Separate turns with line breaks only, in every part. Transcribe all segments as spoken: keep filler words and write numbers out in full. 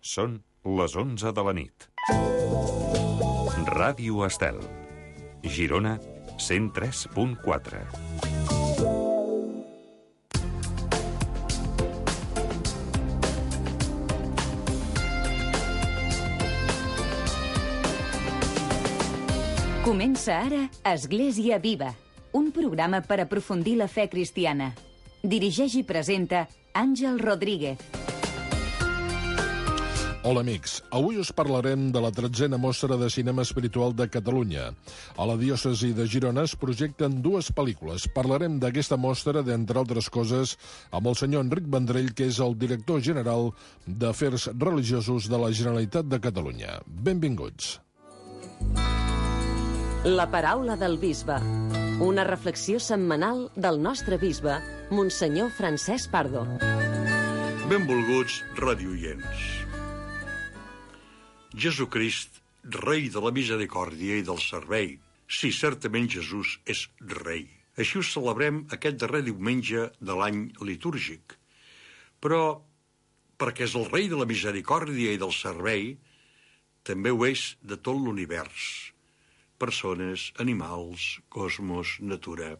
Són les onze de la nit. Ràdio Estel. Girona, cent tres punt quatre.
Comença ara Església Viva, un programa per aprofundir la fe cristiana. Dirigeix i presenta Àngel Rodríguez.
Hola, amics. Avui us parlarem de la tretzena mostra de cinema espiritual de Catalunya. A la diòcesi de Girona es projecten dues pel·lícules. Parlarem d'aquesta mostra, d'entre altres coses, amb el senyor Enric Vendrell, que és el director general d'Afers Religiosos de la Generalitat de Catalunya. Benvinguts.
La paraula del bisbe. Una reflexió setmanal del nostre bisbe, Monsenyor Francesc Pardo.
Benvolguts radioients. Jesucrist, rei de la misericòrdia i del servei. Sí, certament Jesús és rei. Així ho celebrem aquest darrer diumenge de l'any litúrgic. Però, perquè és el rei de la misericòrdia i del servei, també ho és de tot l'univers. Persones, animals, cosmos, natura.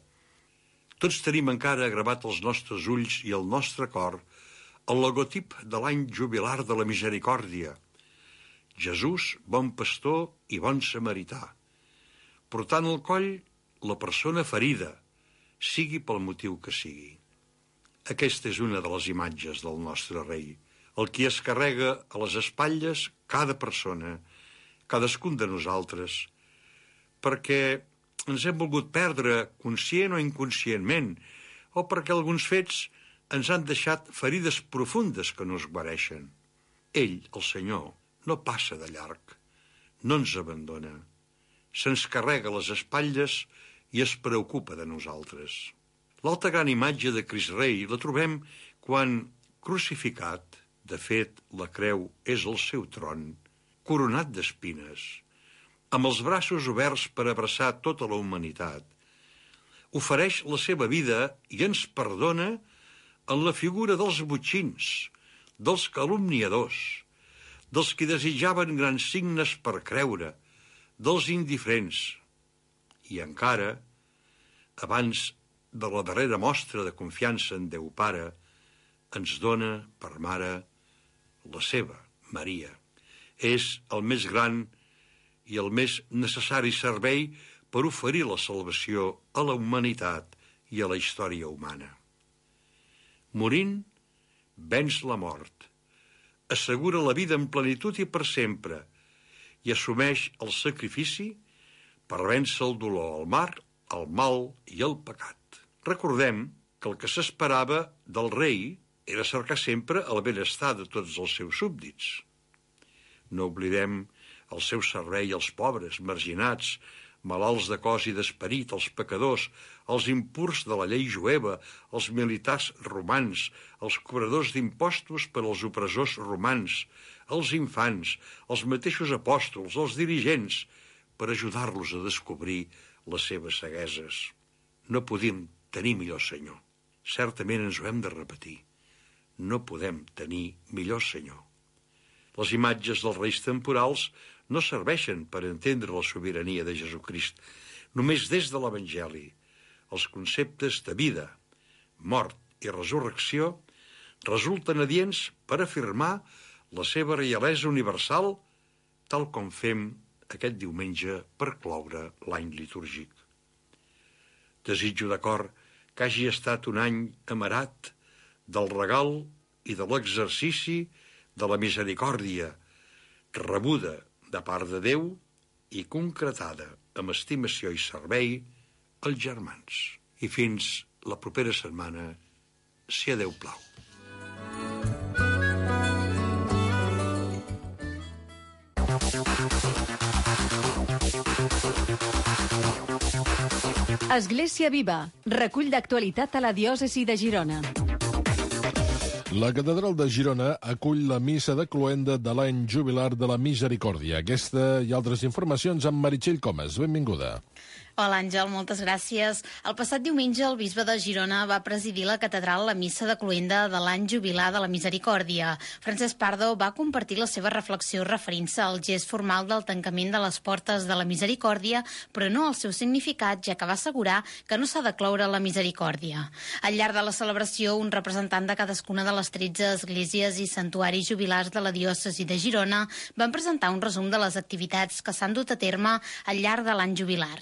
Tots tenim encara gravat als nostres ulls i al nostre cor el logotip de l'any jubilar de la misericòrdia. Jesús, bon pastor i bon samarità, portant al coll la persona ferida, sigui pel motiu que sigui. Aquesta és una de les imatges del nostre rei, el qui es carrega a les espatlles cada persona, cadascun de nosaltres, perquè ens hem volgut perdre conscient o inconscientment, o perquè alguns fets ens han deixat ferides profundes que no es guareixen. Ell, el Senyor, no passa de llarg, no ens abandona, se'ns carrega les espatlles i es preocupa de nosaltres. L'altra gran imatge de Crist Rei la trobem quan, crucificat, de fet, la creu és el seu tron, coronat d'espines, amb els braços oberts per abraçar tota la humanitat, ofereix la seva vida i ens perdona en la figura dels botxins, dels calumniadors, dels qui desitjaven grans signes per creure, dels indiferents. I encara, abans de la darrera mostra de confiança en Déu Pare, ens dona per mare la seva, Maria. És el més gran i el més necessari servei per oferir la salvació a la humanitat i a la història humana. Morint, venç la mort, assegura la vida en plenitud i per sempre i assumeix el sacrifici per vèncer el dolor, el mar, el mal i el pecat. Recordem que el que s'esperava del rei era cercar sempre el benestar de tots els seus súbdits. No oblidem el seu servei als pobres, marginats, malalts de cos i d'esperit, els pecadors, els impurs de la llei jueva, els militars romans, els cobradors d'impostos per als opressors romans, els infants, els mateixos apòstols, els dirigents, per ajudar-los a descobrir les seves cegueses. No podem tenir millor Senyor. Certament ens ho hem de repetir. No podem tenir millor Senyor. Les imatges dels reis temporals no serveixen per entendre la sobirania de Jesucrist. Només des de l'Evangeli, els conceptes de vida, mort i resurrecció resulten adients per afirmar la seva reialesa universal, tal com fem aquest diumenge per cloure l'any litúrgic. Desitjo de cor que hagi estat un any amarat del regal i de l'exercici de la misericòrdia, rebuda de part de Déu i concretada amb estimació i servei als germans. I fins la propera setmana, si a Déu plau.
Església Viva, recull d'actualitat a la diòcesi de Girona.
La catedral de Girona acull la missa de cloenda de l'any jubilar de la misericòrdia. Aquesta i altres informacions amb Meritxell Comas. Benvinguda.
Hola, Àngel, moltes gràcies. El passat diumenge el bisbe de Girona va presidir la catedral la missa de cloenda de l'any jubilar de la Misericòrdia. Francesc Pardo va compartir la seva reflexió referint-se al gest formal del tancament de les portes de la Misericòrdia, però no al seu significat, ja que va assegurar que no s'ha de cloure la misericòrdia. Al llarg de la celebració, un representant de cadascuna de les tretze esglésies i santuaris jubilars de la diòcesi de Girona van presentar un resum de les activitats que s'han dut a terme al llarg de l'any jubilar.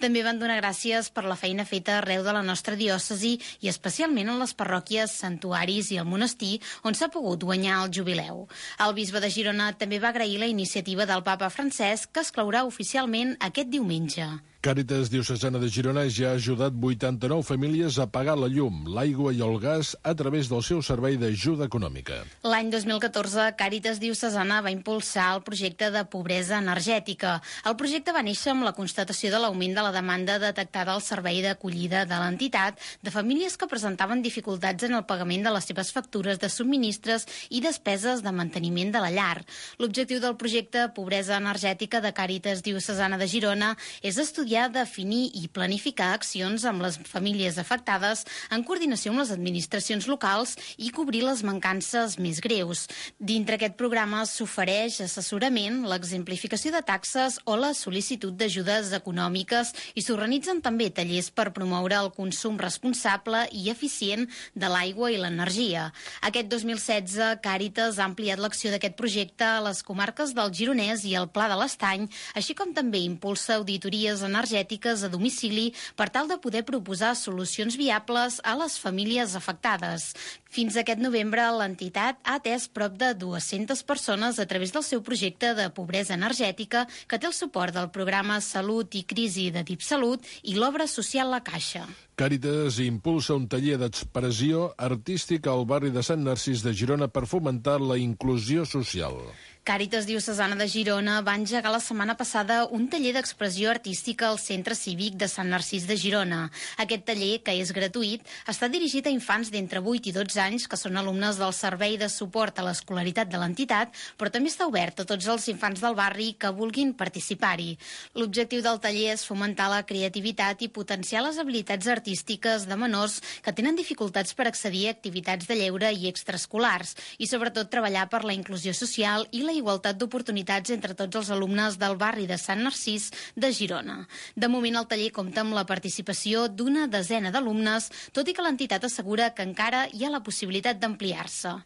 També van donar gràcies per la feina feta arreu de la nostra diòcesi i especialment en les parròquies, santuaris i el monestir on s'ha pogut guanyar el jubileu. El bisbe de Girona també va agrair la iniciativa del papa Francesc, que es clourà oficialment aquest diumenge.
Càritas Diocesana de Girona ja ha ajudat vuitanta-nou famílies a pagar la llum, l'aigua i el gas a través del seu servei d'ajuda econòmica.
L'any dos mil catorze, Càritas Diocesana va impulsar el projecte de pobresa energètica. El projecte va néixer amb la constatació de l'augment de la demanda detectada al servei d'acollida de l'entitat de famílies que presentaven dificultats en el pagament de les seves factures de subministres i despeses de manteniment de la llar. L'objectiu del projecte Pobresa Energètica de Càritas Diocesana de Girona és estudiar definir i planificar accions amb les famílies afectades en coordinació amb les administracions locals i cobrir les mancances més greus. Dintre aquest programa s'ofereix assessorament, l'exemplificació de taxes o la sol·licitud d'ajudes econòmiques i s'organitzen també tallers per promoure el consum responsable i eficient de l'aigua i l'energia. Aquest dos mil setze, Càritas ha ampliat l'acció d'aquest projecte a les comarques del Gironès i el Pla de l'Estany, així com també impulsa auditories energètiques energètiques a domicili per tal de poder proposar solucions viables a les famílies afectades. Fins aquest novembre, l'entitat ha atès prop de dues-centes persones a través del seu projecte de pobresa energètica, que té el suport del programa Salut i Crisi de DipSalut i l'obra social La Caixa.
Càritas impulsa un taller d'expressió artística al barri de Sant Narcís de Girona per fomentar la inclusió social.
Càritas Diocesana de Girona va engegar la setmana passada un taller d'expressió artística al Centre Cívic de Sant Narcís de Girona. Aquest taller, que és gratuït, està dirigit a infants d'entre vuit i dotze anys que són alumnes del Servei de Suport a l'Escolaritat de l'entitat, però també està obert a tots els infants del barri que vulguin participar-hi. L'objectiu del taller és fomentar la creativitat i potenciar les habilitats artístiques de menors que tenen dificultats per accedir a activitats de lleure i extraescolars i, sobretot, treballar per la inclusió social i la igualtat d'oportunitats entre tots els alumnes del barri de Sant Narcís de Girona. De moment, el taller compta amb la participació d'una desena d'alumnes, tot i que l'entitat assegura que encara hi ha la possibilitat d'ampliar-se.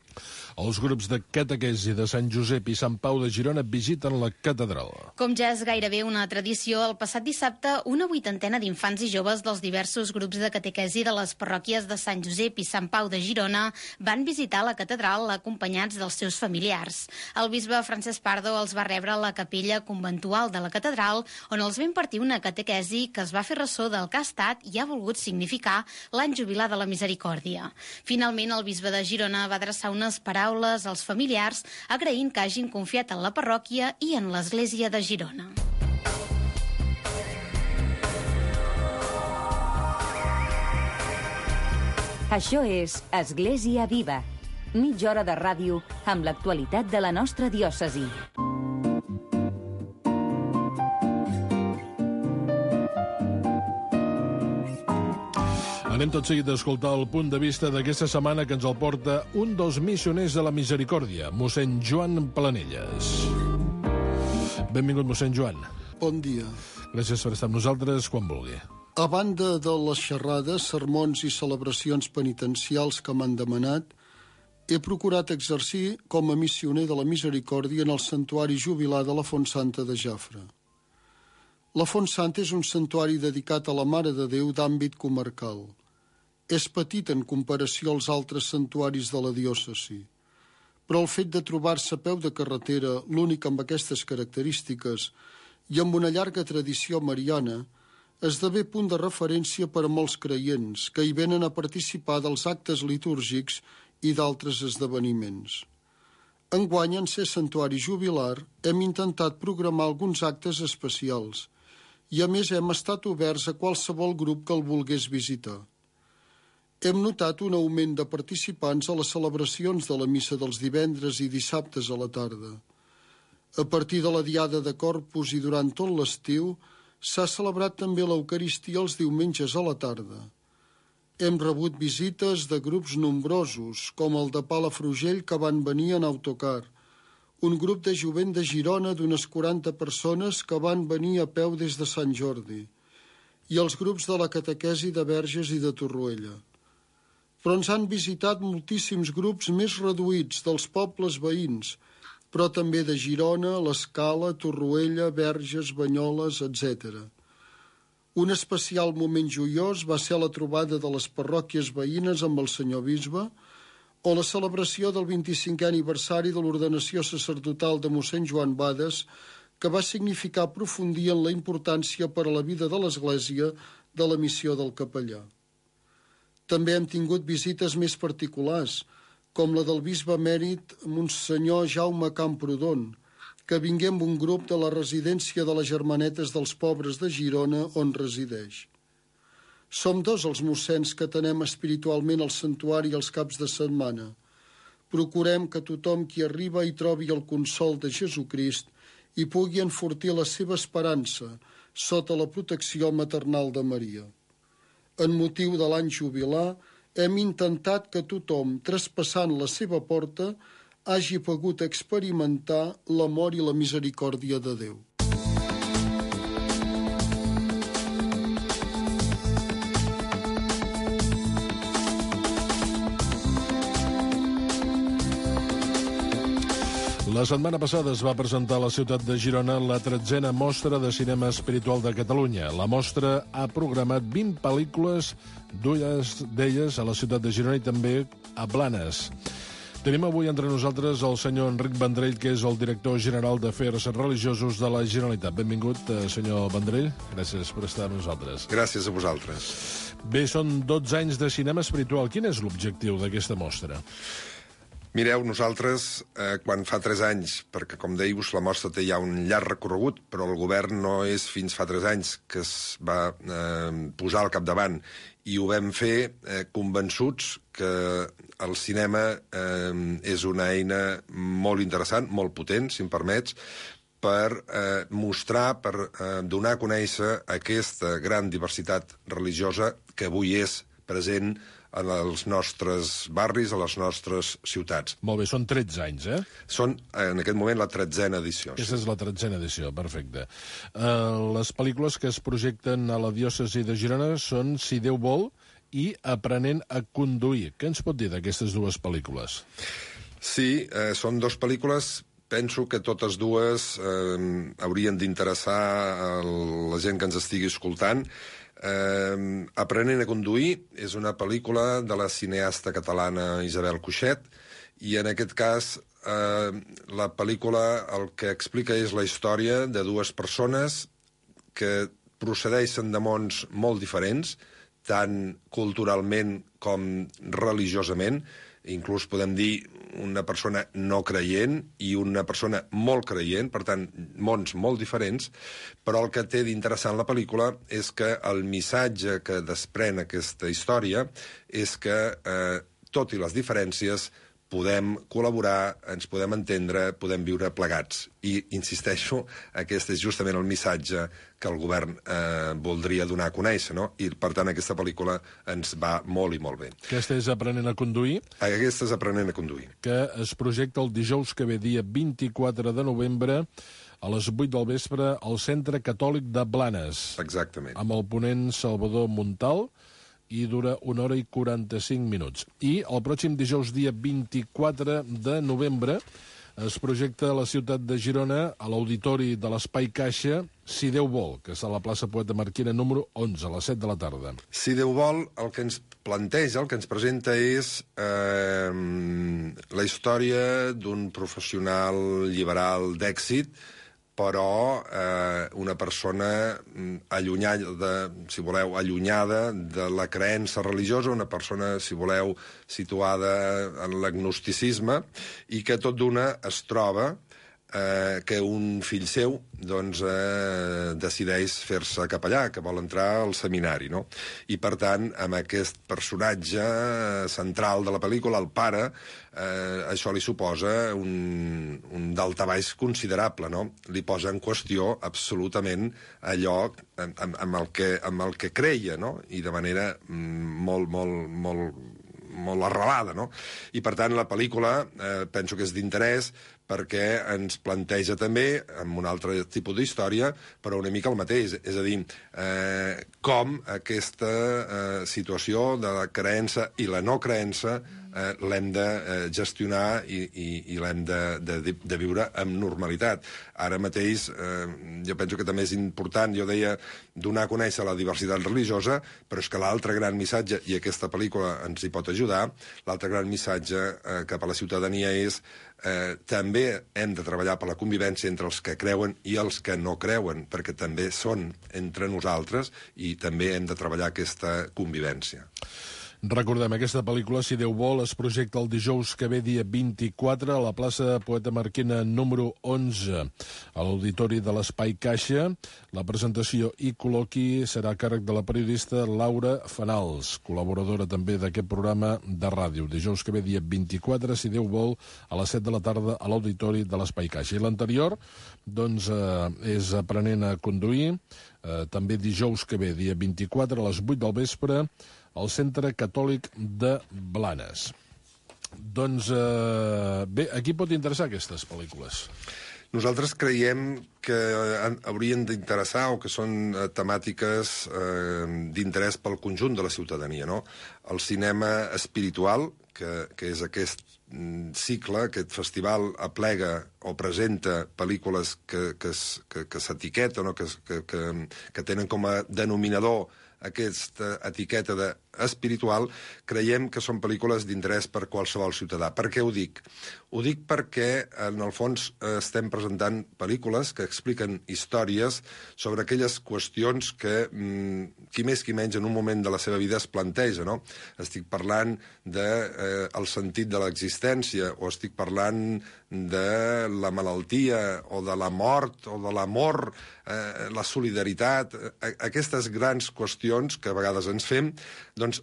Els grups de catequesi de Sant Josep i Sant Pau de Girona visiten la catedral.
Com ja és gairebé una tradició, el passat dissabte una vuitantena d'infants i joves dels diversos grups de catequesi de les parròquies de Sant Josep i Sant Pau de Girona van visitar la catedral acompanyats dels seus familiars. El bisbe Francesc Pardo els va rebre a la capella conventual de la catedral, on els va impartir una catequesi que es va fer ressò del que ha estat i ha volgut significar l'any jubilar de la Misericòrdia. Finalment, el bisbe de Girona va adreçar unes paraules als familiars agraint que hagin confiat en la parròquia i en l'Església de Girona.
Això és Església Viva, mitja hora de ràdio amb l'actualitat de la nostra diòcesi.
Anem tot seguit a escoltar el punt de vista d'aquesta setmana que ens el porta un dels missioners de la Misericòrdia, mossèn Joan Planelles. Benvingut, mossèn Joan.
Bon dia.
Gràcies per estar amb nosaltres quan vulgui.
A banda de les xerrades, sermons i celebracions penitencials que m'han demanat, he procurat exercir com a missioner de la Misericòrdia en el santuari jubilar de la Font Santa de Jafre. La Font Santa és un santuari dedicat a la Mare de Déu d'àmbit comarcal. És petit en comparació als altres santuaris de la diòcesi, però el fet de trobar-se a peu de carretera, l'únic amb aquestes característiques, i amb una llarga tradició mariana, esdevé punt de referència per a molts creients que hi venen a participar dels actes litúrgics i d'altres esdeveniments. Enguany, en ser santuari jubilar, hem intentat programar alguns actes especials i, a més, hem estat oberts a qualsevol grup que el volgués visitar. Hem notat un augment de participants a les celebracions de la missa dels divendres i dissabtes a la tarda. A partir de la diada de Corpus i durant tot l'estiu, S'ha celebrat també l'Eucaristia els diumenges a la tarda. Hem rebut visites de grups nombrosos, com el de Palafrugell, que van venir en autocar, un grup de jovent de Girona d'unes quaranta persones que van venir a peu des de Sant Jordi, i els grups de la catequesi de Verges i de Torroella. Però ens han visitat moltíssims grups més reduïts dels pobles veïns, però també de Girona, l'Escala, Torroella, Verges, Banyoles, etcètera. Un especial moment joiós va ser la trobada de les parròquies veïnes amb el senyor bisbe o la celebració del vint-i-cinquè aniversari de l'ordenació sacerdotal de mossèn Joan Bades, que va significar aprofundir en la importància per a la vida de l'Església de la missió del capellà. També hem tingut visites més particulars, com la del bisbe emèrit Monsenyor Jaume Camprodon, que vingué amb un grup de la residència de les Germanetes dels Pobres de Girona, on resideix. Som dos els mossens que tenem espiritualment al santuari els caps de setmana. Procurem que tothom qui arriba hi trobi el consol de Jesucrist i pugui enfortir la seva esperança sota la protecció maternal de Maria. En motiu de l'any jubilar, hem intentat que tothom, traspassant la seva porta, hagi pogut experimentar l'amor i la misericòrdia de Déu.
La setmana passada es va presentar a la ciutat de Girona la tretzena mostra de cinema espiritual de Catalunya. La mostra ha programat vint pel·lícules, dues d'elles a la ciutat de Girona i també a Blanes. Tenim avui entre nosaltres el senyor Enric Vendrell, que és el director general d'Afers Religiosos de la Generalitat. Benvingut, senyor Vendrell. Gràcies per estar amb nosaltres.
Gràcies a vosaltres.
Bé, són dotze anys de cinema espiritual. Quin és l'objectiu d'aquesta mostra?
Mireu, nosaltres, eh, quan fa tres anys, perquè, com deius, la mostra té ja un llarg recorregut, però el govern no és fins fa tres anys que es va eh, posar al capdavant, i ho vam fer eh, convençuts que el cinema eh, és una eina molt interessant, molt potent, si em permets, per eh, mostrar, per eh, donar a conèixer aquesta gran diversitat religiosa que avui és present en els nostres barris, a les nostres ciutats.
Molt bé, són tretze anys, eh?
Són, en aquest moment, la tretzena edició.
Aquesta és la tretzena edició, perfecte. Uh, les pel·lícules que es projecten a la diòcesi de Girona són Si Déu vol i Aprenent a conduir. Què ens pot dir d'aquestes dues pel·lícules?
Sí, eh, són dues pel·lícules. Penso que totes dues eh, haurien d'interessar a la gent que ens estigui escoltant. Eh, Aprenent a conduir és una pel·lícula de la cineasta catalana Isabel Cuixet, i en aquest cas eh, la pel·lícula el que explica és la història de dues persones que procedeixen de mons molt diferents, tant culturalment com religiosament. Inclús podem dir una persona no creient i una persona molt creient, per tant, mons molt diferents, però el que té d'interessant la pel·lícula és que el missatge que desprèn aquesta història és que, eh, tot i les diferències, podem col·laborar, ens podem entendre, podem viure plegats. I, insisteixo, aquest és justament el missatge que el govern eh, voldria donar a conèixer, no? I, per tant, aquesta pel·lícula ens va molt i molt bé.
Aquesta és Aprenent a conduir?
Aquesta és Aprenent a conduir.
Que es projecta el dijous que ve, dia vint-i-quatre de novembre, a les vuit del vespre, al Centre Catòlic de Blanes.
Exactament.
Amb el ponent Salvador Montal, i dura una hora i quaranta-cinc minuts. I el pròxim dijous, dia vint-i-quatre de novembre, es projecta a la ciutat de Girona, a l'Auditori de l'Espai Caixa, Si Déu vol, que és a la plaça Poeta Marquina número onze, a les set de la tarda.
Si Déu vol, el que ens planteja, el que ens presenta és eh, la història d'un professional liberal d'èxit, però eh, una persona allunyada, si voleu, allunyada de la creença religiosa, una persona, si voleu, situada en l'agnosticisme, i que tot d'una es troba eh, que un fill seu doncs, eh, decideix fer-se capellà, que vol entrar al seminari, no? I, per tant, amb aquest personatge central de la pel·lícula, el pare, eh, això li suposa un, un d'altabaix considerable, no? Li posa en qüestió absolutament allò amb, amb, amb, el, que, amb el que creia, no? I de manera molt, molt, molt, molt arrelada, no? I, per tant, la pel·lícula eh, penso que és d'interès perquè ens planteja també, amb un altre tipus d'història, però una mica el mateix. És a dir, eh, com aquesta eh, situació de la creença i la no creença eh, l'hem de eh, gestionar i, i, i l'hem de, de, de viure amb normalitat. Ara mateix, eh, jo penso que també és important, jo deia, donar a conèixer la diversitat religiosa, però és que l'altre gran missatge, i aquesta pel·lícula ens hi pot ajudar, l'altre gran missatge eh, cap a la ciutadania és Eh, també hem de treballar per la convivència entre els que creuen i els que no creuen, perquè també són entre nosaltres i també hem de treballar aquesta convivència.
Recordem, aquesta pel·lícula, si Déu vol, es projecta el dijous que ve, dia vint-i-quatre, a la plaça Poeta Marquina número onze, a l'Auditori de l'Espai Caixa. La presentació i col·loqui serà a càrrec de la periodista Laura Fanals, col·laboradora també d'aquest programa de ràdio. Dijous que ve, dia vint-i-quatre, si Déu vol, a les set de la tarda a l'Auditori de l'Espai Caixa. I l'anterior, doncs, eh, és Aprenent a conduir, eh, també dijous que ve, dia vint-i-quatre, a les vuit del vespre, al Centre Catòlic de Blanes. Doncs, eh, bé, a qui pot interessar aquestes pel·lícules?
Nosaltres creiem que haurien d'interessar o que són eh, temàtiques eh, d'interès pel conjunt de la ciutadania, no? El cinema espiritual, que, que és aquest cicle, aquest festival aplega o presenta pel·lícules que, que, que, que s'etiqueten o que, que, que, que tenen com a denominador aquesta etiqueta de espiritual, creiem que són pel·lícules d'interès per qualsevol ciutadà. Per què ho dic? Ho dic perquè, en el fons, estem presentant pel·lícules que expliquen històries sobre aquelles qüestions que mm, qui més qui menys en un moment de la seva vida es planteja, no? Estic parlant del de, eh, sentit de l'existència, o estic parlant de la malaltia, o de la mort, o de l'amor, eh, la solidaritat, eh, aquestes grans qüestions que a vegades ens fem, doncs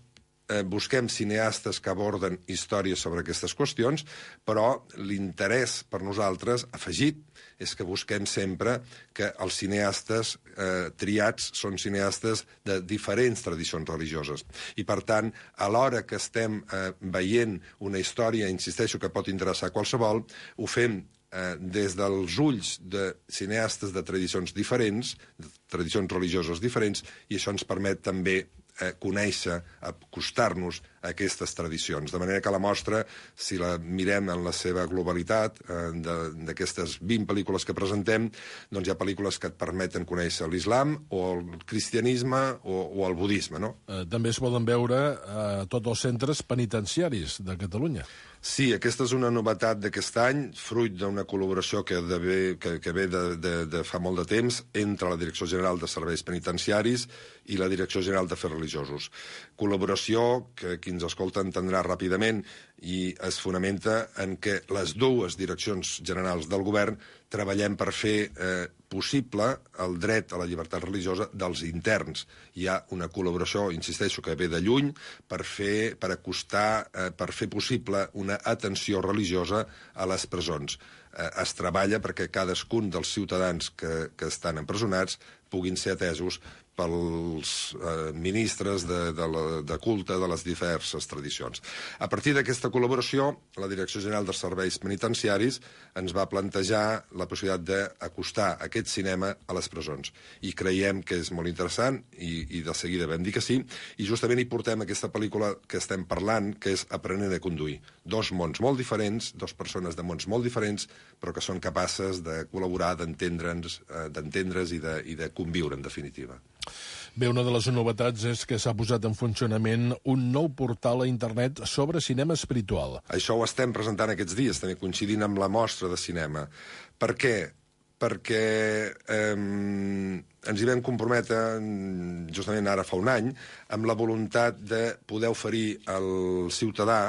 eh, busquem cineastes que aborden històries sobre aquestes qüestions, però l'interès per nosaltres, afegit, és que busquem sempre que els cineastes eh, triats són cineastes de diferents tradicions religioses. I, per tant, a l'hora que estem eh, veient una història, insisteixo, que pot interessar a qualsevol, ho fem eh, des dels ulls de cineastes de tradicions diferents, de tradicions religioses diferents, i això ens permet també eh, conèixer, acostar-nos a aquestes tradicions. De manera que la mostra, si la mirem en la seva globalitat, eh, d'aquestes vint pel·lícules que presentem, doncs hi ha pel·lícules que et permeten conèixer l'islam o el cristianisme o, o el budisme, no?
Eh, també es poden veure a eh, tots els centres penitenciaris de Catalunya.
Sí, aquesta és una novetat d'aquest any, fruit d'una col·laboració que, de ve, que, que ve de, de, de fa molt de temps entre la Direcció General de Serveis Penitenciaris i la Direcció General d'Afers Religiosos. Col·laboració que qui ens escolta entendrà ràpidament i es fonamenta en que les dues direccions generals del govern treballem per fer eh, possible el dret a la llibertat religiosa dels interns. Hi ha una col·laboració, insisteixo, que ve de lluny per fer, per acostar, eh, per fer possible una atenció religiosa a les presons. Eh, es treballa perquè cadascun dels ciutadans que, que estan empresonats puguin ser atesos pels eh, ministres de, de, la, de culte de les diverses tradicions. A partir d'aquesta col·laboració, la Direcció General dels Serveis Penitenciaris ens va plantejar la possibilitat d'acostar aquest cinema a les presons. I creiem que és molt interessant, i, i de seguida vam dir que sí, i justament hi portem aquesta pel·lícula que estem parlant, que és Aprenent a conduir. Dos mons molt diferents, dos persones de mons molt diferents, però que són capaces de col·laborar, d'entendre'ns, eh, d'entendre's i de, i de conviure, en definitiva.
Bé, una de les novetats és que s'ha posat en funcionament un nou portal a internet sobre cinema espiritual.
Això ho estem presentant aquests dies, també coincidint amb la mostra de cinema. Per què? Perquè eh, ens hi vam comprometre, justament ara fa un any, amb la voluntat de poder oferir al ciutadà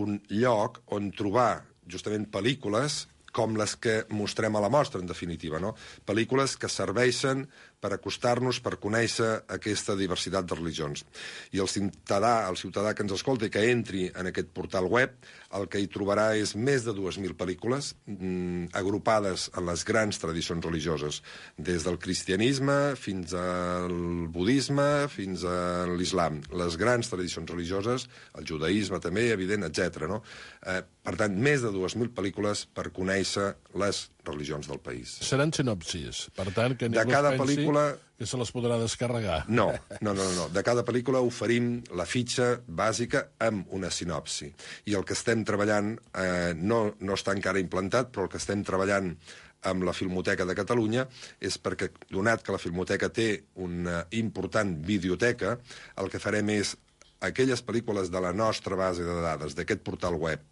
un lloc on trobar justament pel·lícules com les que mostrem a la mostra, en definitiva, no? Pel·lícules que serveixen per acostar-nos, per conèixer aquesta diversitat de religions. I el ciutadà, el ciutadà que ens escolta i que entri en aquest portal web, el que hi trobarà és més de dues mil pel·lícules mm, agrupades en les grans tradicions religioses, des del cristianisme fins al budisme, fins a l'islam. Les grans tradicions religioses, el judaïsme també, evident, etcètera. No? Eh, per tant, més de dues mil pel·lícules per conèixer les religions del país.
Seran sinopsis, per tant, que ningú
de cada
es pensi
pel·lícula...
que se les podrà descarregar.
No, no, no, no. De cada pel·lícula oferim la fitxa bàsica amb una sinopsi. I el que estem treballant eh, no, no està encara implantat, però el que estem treballant amb la Filmoteca de Catalunya és perquè, donat que la Filmoteca té una important videoteca, el que farem és aquelles pel·lícules de la nostra base de dades, d'aquest portal web,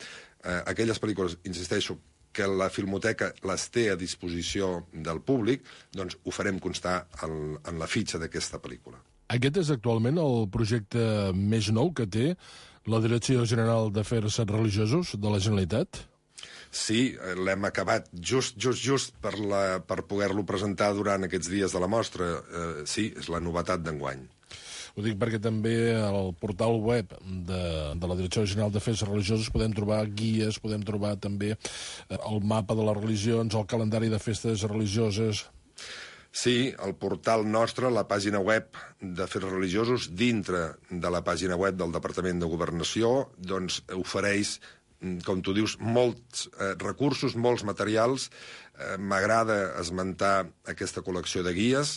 eh, aquelles pel·lícules, insisteixo, que la Filmoteca les té a disposició del públic, doncs ho farem constar en, en la fitxa d'aquesta pel·lícula.
Aquest és actualment el projecte més nou que té la Direcció General d'Afers Religiosos de la Generalitat?
Sí, l'hem acabat just, just, just per, la, per poder-lo presentar durant aquests dies de la mostra. Eh, sí, és la novetat d'enguany.
Ho dic perquè també al portal web de, de la Direcció General d'Afers Religiosos podem trobar guies, podem trobar també el mapa de les religions, el calendari de festes religioses.
Sí, el portal nostre, la pàgina web d'Afers Religiosos, dintre de la pàgina web del Departament de Governació, doncs ofereix, com tu dius, molts eh, recursos, molts materials. Eh, M'agrada esmentar aquesta col·lecció de guies,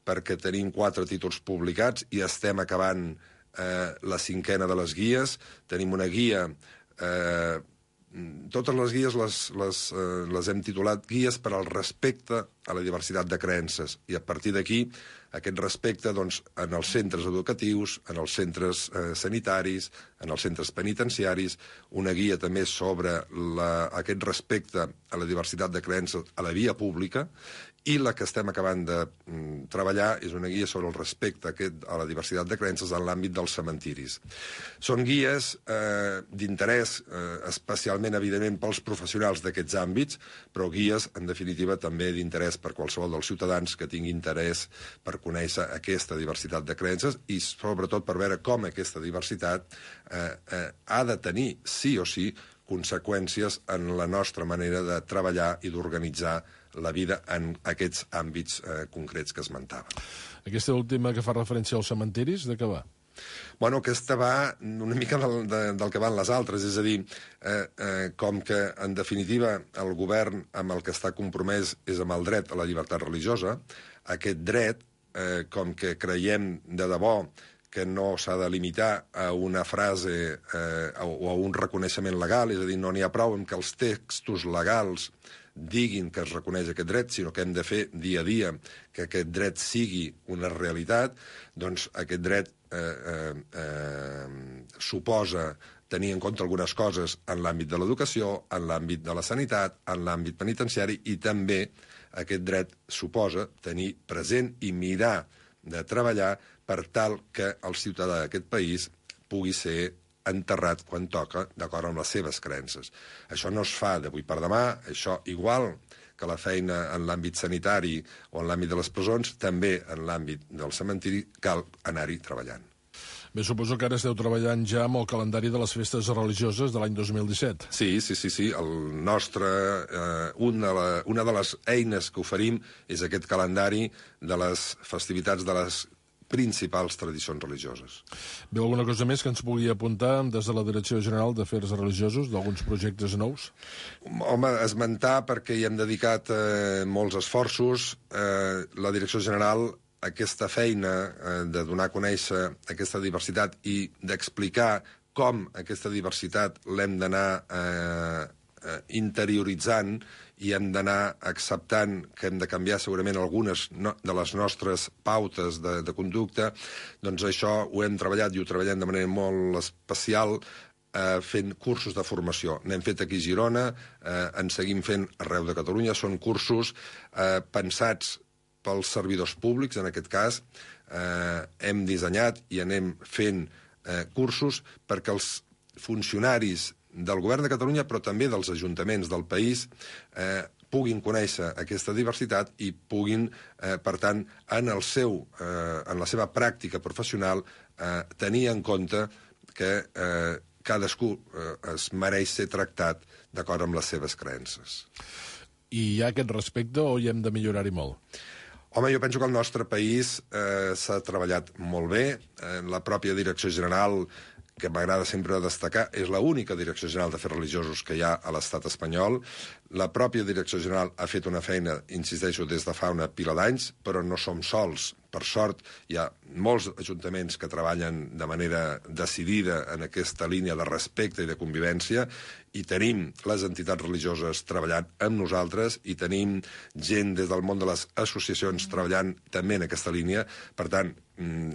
perquè tenim quatre títols publicats i estem acabant eh, la cinquena de les guies. Tenim una guia... Eh, totes les guies les, les, eh, les hem titulat Guies per al respecte a la diversitat de creences. I a partir d'aquí, aquest respecte doncs, en els centres educatius, en els centres eh, sanitaris, en els centres penitenciaris, una guia també sobre la, aquest respecte a la diversitat de creences a la via pública, i la que estem acabant de mm, treballar és una guia sobre el respecte aquest, a la diversitat de creences en l'àmbit dels cementiris. Són guies eh, d'interès, eh, especialment, evidentment, pels professionals d'aquests àmbits, però guies, en definitiva, també d'interès per qualsevol dels ciutadans que tingui interès per conèixer aquesta diversitat de creences i, sobretot, per veure com aquesta diversitat eh, eh, ha de tenir, sí o sí, conseqüències en la nostra manera de treballar i d'organitzar la vida en aquests àmbits eh, concrets que esmentava.
Aquesta última que fa referència als cementiris, de què va?
Bueno, aquesta va una mica del, de, del que van les altres, és a dir, eh, eh, com que, en definitiva, el govern amb el que està compromès és amb el dret a la llibertat religiosa, aquest dret, eh, com que creiem de debò que no s'ha de limitar a una frase eh, o a un reconeixement legal, és a dir, no n'hi ha prou amb que els textos legals diguin que es reconeix aquest dret, sinó que hem de fer dia a dia que aquest dret sigui una realitat, doncs aquest dret eh, eh, eh, suposa tenir en compte algunes coses en l'àmbit de l'educació, en l'àmbit de la sanitat, en l'àmbit penitenciari, i també aquest dret suposa tenir present i mirar de treballar per tal que el ciutadà d'aquest país pugui ser enterrat quan toca, d'acord amb les seves creences. Això no es fa d'avui per demà, això, igual que la feina en l'àmbit sanitari o en l'àmbit de les presons, també en l'àmbit del cementiri cal anar-hi treballant.
Bé, suposo que ara esteu treballant ja amb el calendari de les festes religioses de l'any dos mil disset.
Sí, sí, sí, sí. El nostre, eh, una, la, una de les eines que oferim és aquest calendari de les festivitats de les principals tradicions religioses.
Veu alguna cosa més que ens pugui apuntar des de la Direcció General d'Afers Religiosos, d'alguns projectes nous?
Home, esmentar, perquè hi hem dedicat eh, molts esforços. Eh, la Direcció General, aquesta feina eh, de donar a conèixer aquesta diversitat i d'explicar com aquesta diversitat l'hem d'anar eh, eh, interioritzant i hem d'anar acceptant que hem de canviar segurament algunes no, de les nostres pautes de, de conducta, doncs això ho hem treballat i ho treballem de manera molt especial eh, fent cursos de formació. N'hem fet aquí a Girona, eh, en seguim fent arreu de Catalunya, són cursos eh, pensats pels servidors públics, en aquest cas, eh, hem dissenyat i anem fent eh, cursos perquè els funcionaris del govern de Catalunya, però també dels ajuntaments del país, eh, puguin conèixer aquesta diversitat i puguin, eh, per tant, en, el seu, eh, en la seva pràctica professional, eh, tenir en compte que eh, cadascú eh, es mereix ser tractat d'acord amb les seves creences.
I hi ha aquest respecte o hi hem de millorar-hi molt?
Home, jo penso que el nostre país eh, s'ha treballat molt bé. Eh, la pròpia Direcció General, que m'agrada sempre destacar, és l'única Direcció General d'Afers Religiosos que hi ha a l'estat espanyol. La pròpia Direcció General ha fet una feina, insisteixo, des de fa una pila d'anys, però no som sols. Per sort, hi ha molts ajuntaments que treballen de manera decidida en aquesta línia de respecte i de convivència, i tenim les entitats religioses treballant amb nosaltres, i tenim gent des del món de les associacions treballant també en aquesta línia. Per tant,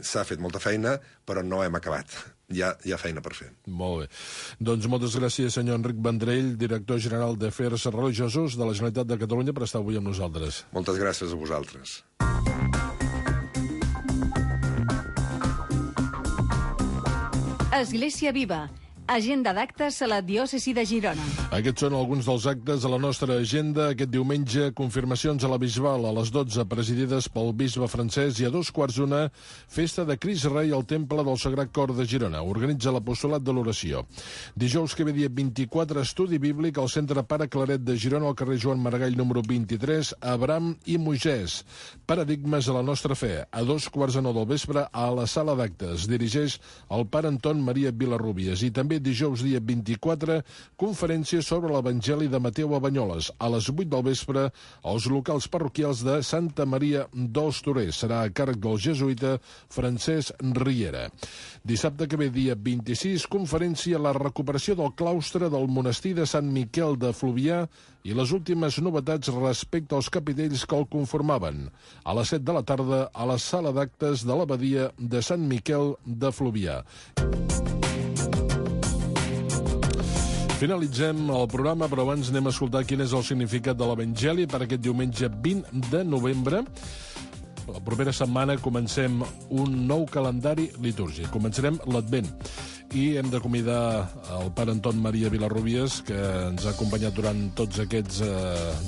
s'ha fet molta feina, però no hem acabat. Hi ha, hi ha feina per fer.
Molt bé. Doncs moltes gràcies, senyor Enric Vendrell, director general d'Afers Religiosos de la Generalitat de Catalunya, per estar avui amb nosaltres.
Moltes gràcies a vosaltres.
Església Viva, agenda d'actes a la diòcesi de Girona.
Aquests són alguns dels actes de la nostra agenda. Aquest diumenge, confirmacions a la Bisbal a les dotze, presidides pel bisbe francès, i a dos quarts d'una, festa de Crist Rei al Temple del Sagrat Cor de Girona. Organitza l'Apostolat de l'Oració. Dijous que ve dia vint-i-quatre, estudi bíblic al Centre Pare Claret de Girona, al carrer Joan Maragall número vint-i-tres, Abraham i Moisès. Paradigmes a la nostra fe. A dos quarts de nou del vespre, a la sala d'actes. Dirigeix el pare Anton Maria Vilarrúbies. I també dijous dia vint-i-quatre, conferència sobre l'Evangeli de Mateu a Banyoles. A les vuit del vespre, als locals parroquials de Santa Maria dels Torers. Serà a càrrec del jesuïta Francesc Riera. Dissabte que ve, dia vint-i-sis, conferència a la recuperació del claustre del monestir de Sant Miquel de Fluvià i les últimes novetats respecte als capitells que el conformaven. A les set de la tarda, a la sala d'actes de l'abadia de Sant Miquel de Fluvià. Finalitzem el programa, però abans anem a escoltar quin és el significat de l'Evangeli per aquest diumenge vint de novembre. La propera setmana comencem un nou calendari litúrgic. Començarem l'Advent. I hem de convidar el pare Anton Maria Vilarrúbies, que ens ha acompanyat durant tots aquests eh,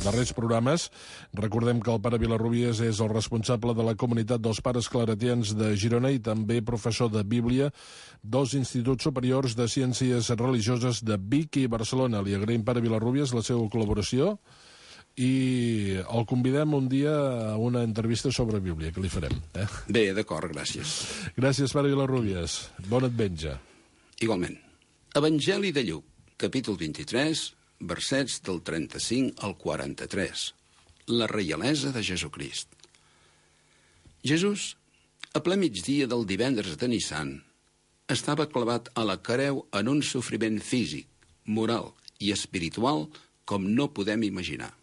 darrers programes. Recordem que el pare Vilarrúbies és el responsable de la comunitat dels pares claretians de Girona i també professor de Bíblia dels Instituts Superiors de Ciències Religioses de Vic i Barcelona. Li agraïm, pare Vilarrúbies, la seva col·laboració i el convidem un dia a una entrevista sobre Bíblia, que li farem. Eh?
Bé, d'acord, gràcies.
Gràcies, pare Vilarrúbies. Bon advent.
Igualment. Evangeli de Lluc, capítol vint-i-tres, versets del trenta-cinc al quaranta-tres. La reialesa de Jesucrist. Jesús, a ple migdia del divendres de Nissan, estava clavat a la creu en un sofriment físic, moral i espiritual com no podem imaginar.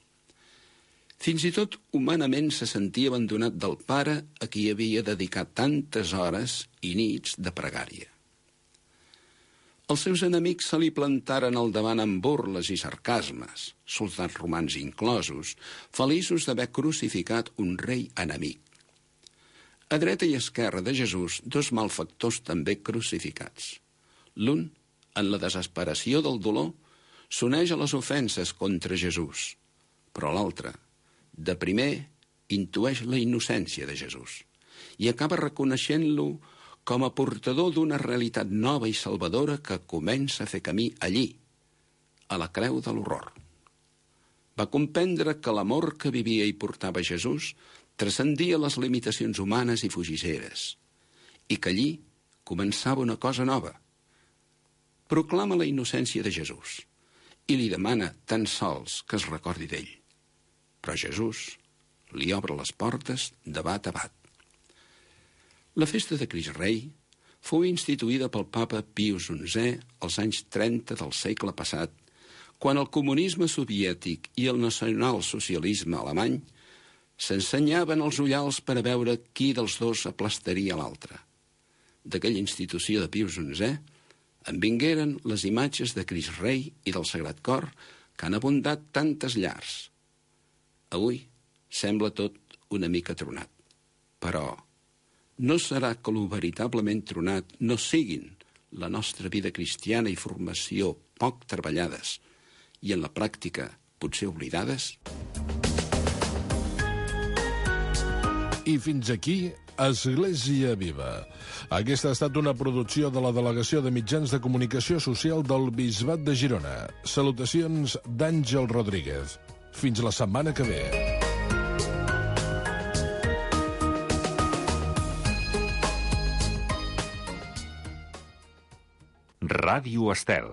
Fins i tot humanament se sentia abandonat del Pare a qui havia dedicat tantes hores i nits de pregària. Els seus enemics se li plantaren al davant amb burles i sarcasmes, soldats romans inclosos, feliços d'haver crucificat un rei enemic. A dreta i esquerra de Jesús, dos malfactors també crucificats. L'un, en la desesperació del dolor, s'uneix a les ofenses contra Jesús, però l'altre, de primer, intueix la innocència de Jesús i acaba reconeixent-lo com a portador d'una realitat nova i salvadora que comença a fer camí allí, a la creu de l'horror. Va comprendre que l'amor que vivia i portava Jesús transcendia les limitacions humanes i fugisseres, i que allí començava una cosa nova. Proclama la innocència de Jesús i li demana tan sols que es recordi d'ell. Però Jesús li obre les portes de bat a bat. La festa de Crist Rei fou instituïda pel papa Pius onzè als anys trenta del segle passat, quan el comunisme soviètic i el nacionalsocialisme alemany s'ensenyaven els ullals per a veure qui dels dos aplastaria l'altre. D'aquella institució de Pius onzè en vingueren les imatges de Crist Rei i del Sagrat Cor que han abundat tantes llars. Avui sembla tot una mica tronat, però no serà que lo veritablement tronat no siguin la nostra vida cristiana i formació poc treballades i en la pràctica potser oblidades?
I fins aquí, Església Viva. Aquesta ha estat una producció de la Delegació de Mitjans de Comunicació Social del Bisbat de Girona. Salutacions d'Àngel Rodríguez. Fins la setmana que ve.
Ràdio Estel.